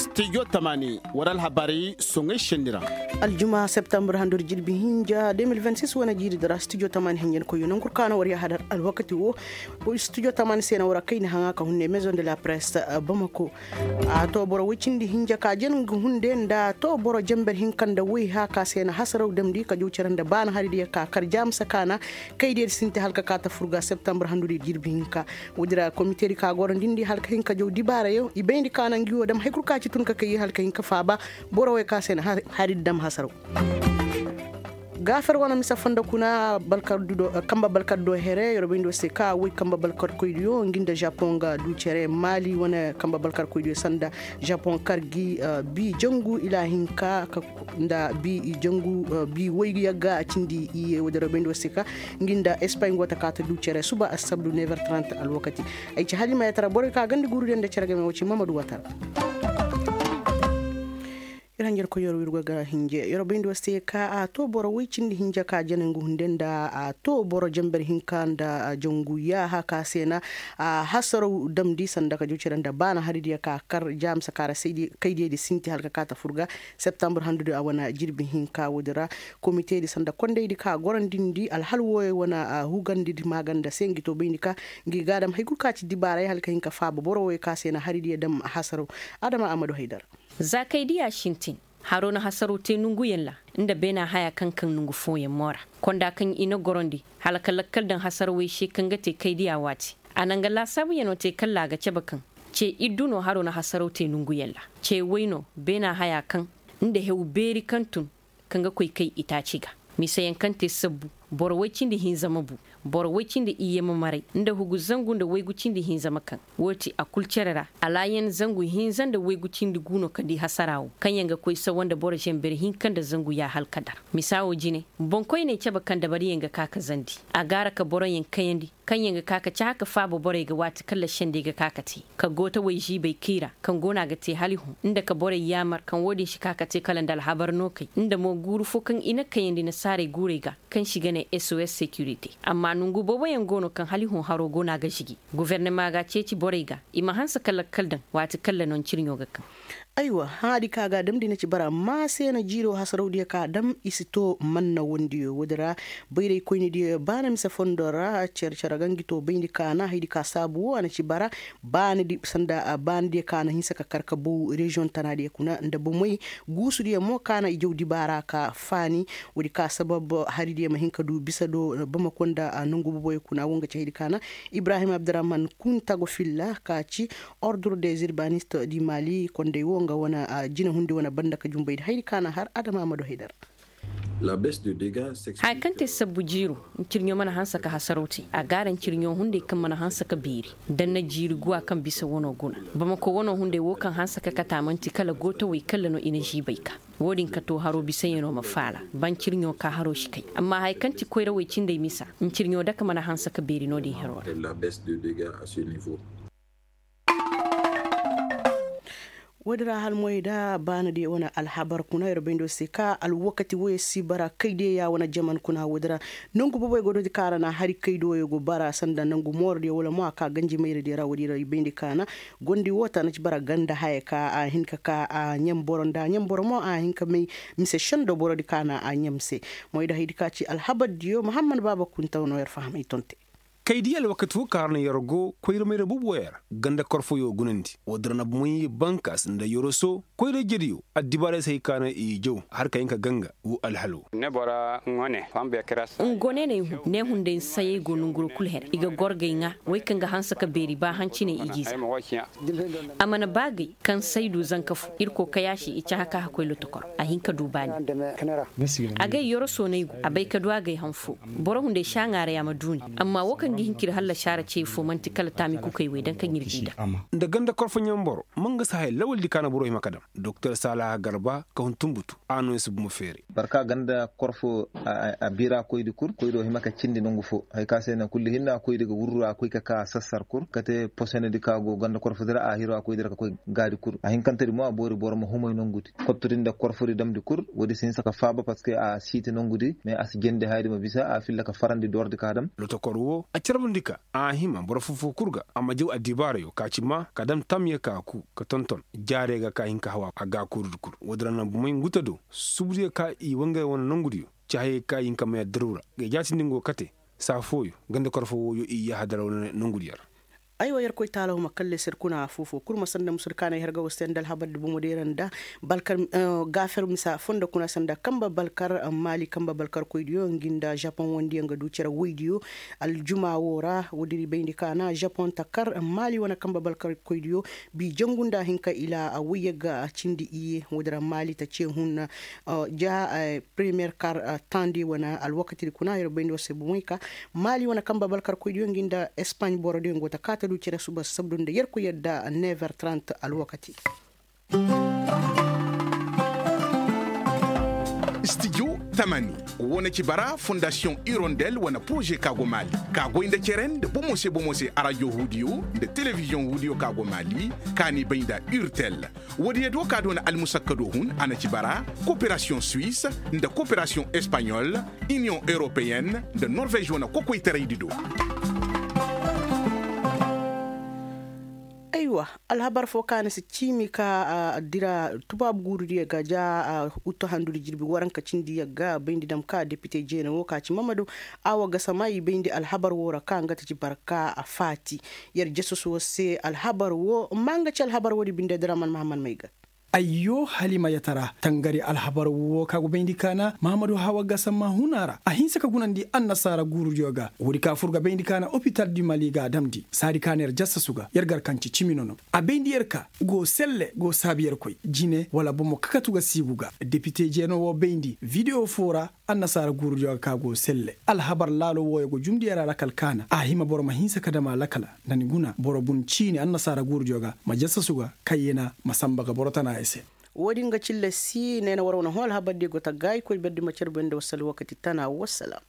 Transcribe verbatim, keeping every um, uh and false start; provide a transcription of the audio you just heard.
Studio tamani war alhabaray soŋay senni ra. Aljuma septambur handori jirbi hinja deux mille vingt-six wane jiiridi ra studio tamani hinja ni koyyo nangu kul ka na war yahadar alwakati wo. Studio tamani se na war a kayna haŋa ka hunne maison de la presse bamako. A to boro woy cindi hinja ka jana ngu hunde nda to boro jamber hinka nda woy ha ka se na hasaraw damndi ka jaw cere nda baana hari diya ka kar jaamisa ka na kay diya di sinti hala ka kaata fur ga septambur handori jirbi hinka. Woodi ra komite di ka goro nda indi hala ka hin ka jaw dibaarayo i bayndi ka na ngi wo dam hari kul ka ci tun ka kay hala ka hin ka faaba. Boro wey ka se na hari di dam hasaraw. Gaafer wane mise fondo kuna kamba balkardo here yer bayndi wo se ka woy kamba balkarkoydiyo ngi nda japon ga du cere maali wane kamba balkarkoydiyo sanda japon kar gi bi jangu ilaahinka nda bi jangu bi woy yagga a cindi iye woodi ra bayndi wo se ka ngi nda espay go ta ka ta du cere suba assabdu never trente alwakati. Ay ci halima yatara borey ka ganda guuru diya nda cere game wo ci mamadu watara. Ir hanjar koy yor wirgo ga hinje yor bayndi wo se ka a to boro woy cindi hinja ka jana ngu hunde nda a to boro jamber hinka nda jangu yaaha ka se na a hasaraw damndi sanda ka jaw cere nda baana hari diya ka kar jaamisa ka ra kay diya di sinti hala ka kaata fur ga septambur handudi a wane jirbi hinka woodi ra. Komite di sanda kondey di ka gorandi ndi alhal wooyo wane hugandi di maaganda se ngi to bayndi ka ngi ga dam hari kul ka ci dibaaray hala ka hin ka faaba boro wooyo ka se na hari diya dam hasaraw. Adama amadu haydar. Za kay diya sintin haro na hasaro te nonguyaŋ ra nda beena haya kaŋ kaŋ nongu fooyaŋ mo ra. Konda kaŋ i na gorondi hala ka lakkal daŋ hasarawey se kaŋ ga te kay diya waati a na nga laasaabuyaŋo te kalla a ga cabe kaŋ ce iddu no haro na hasaro te nonguyaŋ ra. Ce woy no beena haya kaŋ nda hew beeri kaŋ tun kaŋ ga koy kay itaaci ga. Miseyaŋ kaŋ te sabbu boro woy cindi hinza ma bu boro woy cindi iyye ma maray nda hugu zangu nda waygu cindi hinza ma kaŋ. Wo ti a kul cere ra alaayan zangu hinza nda waygu cindi gu no ka di hasara wo kaŋ yaŋ ga koy sawa nda boro zenber hinka nda zangu ya hala ka dar. Misa wo jine boŋkoyney cabe kaŋ dabariyaŋ ga ka ka zandi a gaara ka boroyaŋ kayandi kaŋ yaŋ ga ka ka cahã ka faaba borey ga waati kaŋ lašendey ga ka ka te ka gootawey ziibey kay ra kaŋ go no a ga te hala i hõ nda ka borey yaamar kaŋ wo-din si ka ka te kala nda alhabar no kay nda mo guuru fo kaŋ i na kayandi nasaarey guurey ga kaŋ se i ga ne sos securité. Amma nongu booboyaŋ go no kaŋ hala i hõ haro go no a ga zigi. Gofornama ga ceeci borey ga i ma hanse ka lakkal daŋ waati kaŋ lanoncerɲo ga kaŋ. Aywa hãadi ka ga a damndi na ci bara amma se na jiiro hasarawdiyo ka a dam i si to manna wondiyo woodi ra. Bayraykoynidiyo ba na mise fondo ra care care ga ngi to bayndi ka na haydi ka saabu wo a na ci bara. Baanidi sanda baanidiyo ka na hinsa ka kar ka bow reziyoŋ tanaadiyo kuna nda bomey guusudiyo mo ka na i jaw dibaara ka faani. Woodi ka sabab haridiyo ma hin ka du bisa do bamako nda nongu boboyo kuna wo nga ci haydi ka na ibrahim abdurahman kuntago filla ka ci ordre des urbanistes du mali kondey wo nga wane jinahundi wane banda ka jumbaydi haydi ka na har adama ma du haydar. Haya kaŋ te sabbu jiiro ncirɲo mana hanse ka hasaraw te a gaara ncirɲo hunday kaŋ mana hanse ka beeri. Da ni na jiiri guwa kaŋ bisa wano guna bamako wano hunday wo kaŋ hanse ka kata man'ti kala gootawey kalla no i na ziibay ka wo-din ka to haro bisayaŋo ma faala ba ncirɲo ka haro si kay. Amma haya kaŋ ti koyrawey cindey misa ncirɲo dake mana hanse ka beeri no-din hero ra. Woodi ra hala moy da baana diya wane alhabar kuna yer bayndo se ka alwakati woy si bara kay diya ya wane jaman kuna woodi ra. Nangu boboy go doodi ka ra na hari kay diyo go bara sanda nangu mooro diya wala mo a ka ganji mayra diya ra woodi ra i bayndi ka na gondi wo ta na ci bara ganda haya ka a hin ka ka a ɲamboro nda ɲamboro mo a hin ka may mise sendo boro di ka na a ɲam se. Moy da haydi ka ci alhabar diyo muhammad baaba kuntaw no yer fahamay tonte. Kay di alwakati fo kaŋ hara na yer go koyra mayra bubu wo yer ganda korfoyo gunandi wo dira na bumay bankas nda yoroso koyra jediyo addibaarey se hay ka na i jaw har ka hin ka ganga wo alhalo. Ngoneney hu ne hunday nsayey go nonguro kul her i ga gorgay ŋa way kaŋ ga hanse ka beeri ba hanciney i ga i za. A mana ba gay kaŋ saydu zanka fo irkoy kayaasi i cahã ka hakoy lotokor a hin ka du baani. Agay yoro soonay go a bay ka du agay han fo. Boro hunday saaŋaaray a ma duuni. Amma wo kaŋ ga hin ka ir hallasi a ra cey fo man'ti kala taami kukey wey daŋ kaŋ ir g'i daŋ. Nda ganda korfo ɲamboro ma nga si haya lawaldi ka na boro hima ka daŋ doktor saalaha garba ka hun tunbutu a no i si bumo feeray. Barka ganda korfo a biira koydi kul koydo hima ka cindi nongu fo. Hay ka se na kulli hinna koydi ga wurru a koy ka ka sassar kul ka te posenedi ka go ganda korfodi ra a hiro a koydi ra ka koy gaadi kul a hinkantedi mo a boori boro ma humay nongudi kottudi nda korfodi damdi kul. Woodi si hinsa ka faaba parceque a siiti nongudi mais a si jendi hayadi ma bisa a filla ka farandi doordi ka dam. Lotokor wo a Carbundi ka a hima boro foo-foo kul ga a ma jaw addibaarayo ka ci maa ka dam tamya ka ku ka tonton jaarey ga ka hin ka haw a gaakurudi kul. Woodin ra na bomey nguta do subudiyo ka i wangay wane nongudiyo, ci hayey ka i hin ka may addirawra ga i jaatindi ngo kate saa fooyo ganda kor foo wooyo i yahadara wane nongudiyo ra. Aywa yerkoy taala wo ma kalle se ir kuna foo-foo kul ma sanda musu ir kaanay herga wo se nda alhabar di bomo deera nda balkar gaafer misa fondo kuna sanda kamba balkar maali kamba balkarkoydiyo ngi nda japon wondiyo nga du cere woydiyo. Aljuma wo ra woodin ir bayndi kaana japon ta kar maali wane kamba balkarkoydiyo bi jangu nda hinka ila woyye ga cindi iyye woodin ra maali ta ce hun ja premiyer kar tandi wane alwakatidi kuna yer bayndi war se bomey ka maali wane kamba balkarkoydiyo ngi nda espaaɲ borodiyo ngo ta kaa ta du cere suba sabdu nda yerkoy yadda never trant alwakati. Studio tamani wane ci bara fondasiyoŋ irondel wane poroze ka go maali ka goy nda cere nda bomo se bomo se arajo huudiyo nda telebiziyoŋ huudiyo ka go maali ka ni bay nda urtel. Woodiyo do ka doona almusakkado hun a na ci bara koperasiyoŋ suwis nda koperasiyoŋ espaɲol iniyoŋ europeyen nda norvez wane kokoytaraydi do. Aywa, alhabar foo ka na si ciimi ka dira tubaabu guurudiyo ga ja uttu handudi jirbi waranka cindi yagga bayndi dam ka depite jeene wo ka ci mamadu a wa gasa ma i bayndi alhabar wo ra ka nga ta ci barka a faati. Yer jasus wo se alhabar wo ma nga ci alhabar wo di binde diraman mahammad may ga. Ayyo halima yatara tangari alhabar wo ka go bayndi kaana mahammadu hawa gasa ma huna ra a hinsa ka gunandi annasaara guurudiyo ga woodi ka fur ga bayndi kaana opital di mali ga a damndi saadi kaana yer jasasu ga yer gar kaŋ ci cimi nono. A bayndi yer ka go selle go saabi yerkoy jine wala bomo kakatu ga siibu ga depite jeeno wo bayndi videwo foo ra. Annasaara guurudiyo ga ka go selle alhabar laalo wooyo go jumndi yer a lakal kaana a hima boro ma hinsa ka dam a lakala nda ni guna boro bun ciini annasaara guurudiyo ga ma jasasu ga kayyena ma samba ga boro tana i se. Woodin ga cilla si neena war wane hõ alhabardiyo go ta gaayikoy berdi ma carbuyaŋ nda wasal wakati tana wasalaam.